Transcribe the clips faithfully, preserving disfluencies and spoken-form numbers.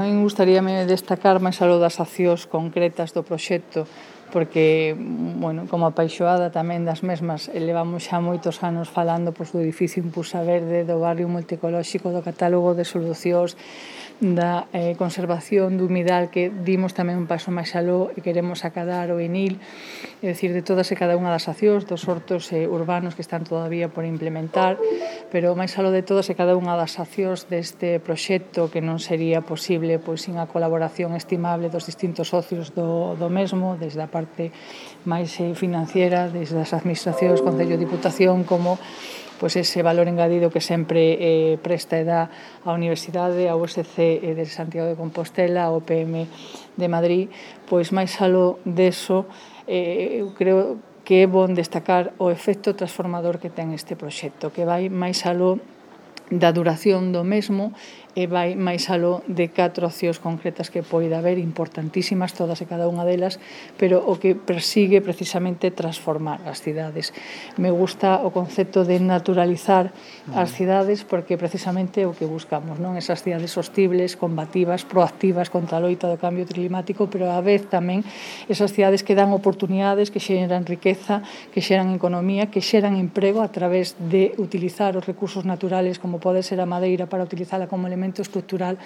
A min gustaríame destacar máis aló das accións concretas do proxecto, porque, bueno, como apaixoada tamén das mesmas, levamos xa moitos anos falando pois, do edificio Impulsa Verde, do barrio multicolóxico, do catálogo de solucións, da eh, conservación do humidal, que dimos tamén un paso máis aló e queremos acadar o ENIL, é dicir, de todas e cada unha das accións, dos hortos eh, urbanos que están todavía por implementar, pero máis aló de todas e cada unha das accións deste proxecto, que non sería posible pois, sin a colaboración estimable dos distintos socios do, do mesmo, desde a parte máis eh, financiera, desde as administracións, Concello, Diputación, como pois ese valor engadido que sempre eh, presta e dá a Universidade, a U S C de Santiago de Compostela, a O P M de Madrid, pois máis aló deso, eh, eu creo que é bon destacar o efecto transformador que ten este proxecto, que vai máis aló da duración do mesmo e vai máis aló de catro accións concretas que poida haber, importantísimas todas e cada unha delas, pero o que persigue precisamente transformar as cidades. Me gusta o concepto de naturalizar as cidades porque precisamente é o que buscamos, non? Esas cidades sostibles, combativas, proactivas contra a loita do cambio climático, pero á vez tamén esas cidades que dan oportunidades, que xeran riqueza, que xeran economía, que xeran emprego a través de utilizar os recursos naturales como pode ser a madeira para utilizala como elemento estructural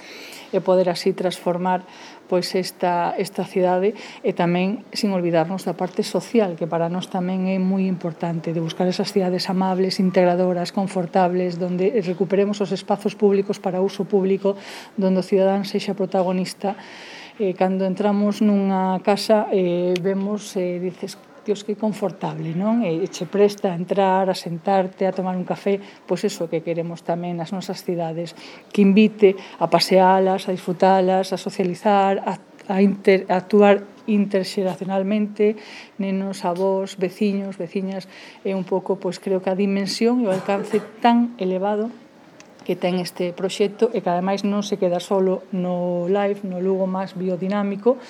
e poder así transformar pois esta, esta cidade e tamén sin olvidarnos da parte social, que para nós tamén é moi importante, de buscar esas cidades amables, integradoras, confortables, donde recuperemos os espazos públicos para uso público, donde o cidadán sexa protagonista. Eh, cando entramos nunha casa eh, vemos, eh, dices, Dios, que confortable, non? E che presta a entrar, a sentarte, a tomar un café, pois iso que queremos tamén nas nosas cidades, que invite a pasealas, a disfrutalas, a socializar, a, a, inter, a actuar interxeracionalmente, nenos, avós, veciños, veciñas, é un pouco, pois creo que a dimensión e o alcance tan elevado que ten este proxecto e que ademais non se queda solo no live, no Lugo máis biodinámico,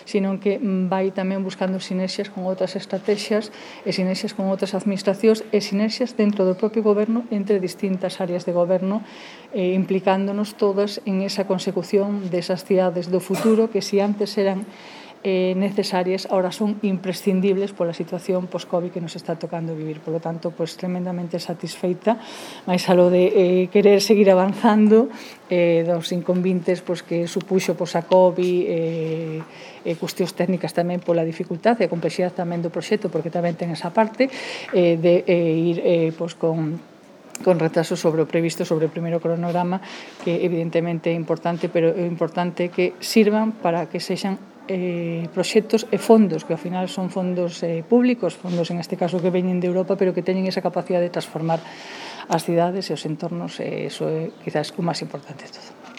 sino que vai tamén buscando sinerxias con outras estrategias e sinerxias con outras administracións e sinerxias dentro do propio goberno entre distintas áreas de goberno, eh, implicándonos todas en esa consecución desas cidades do futuro que si antes eran eh, necesarias, ahora son imprescindibles pola situación post-COVID que nos está tocando vivir. Por lo tanto, pues tremendamente satisfeita, máis aló de eh, querer seguir avanzando eh, dos inconvintes pues, que supuxo pues, a COVID, eh, e cuestións técnicas tamén pola dificultade e a complexidade tamén do proxecto, porque tamén ten esa parte eh, de eh, ir eh, pues, con con retraso sobre o previsto, sobre o primeiro cronograma, que evidentemente é importante, pero é importante que sirvan para que sexan eh, proxectos e fondos, que ao final son fondos eh, públicos, fondos en este caso que veñen de Europa, pero que teñen esa capacidade de transformar as cidades e os entornos, e iso é quizás o máis importante de todo.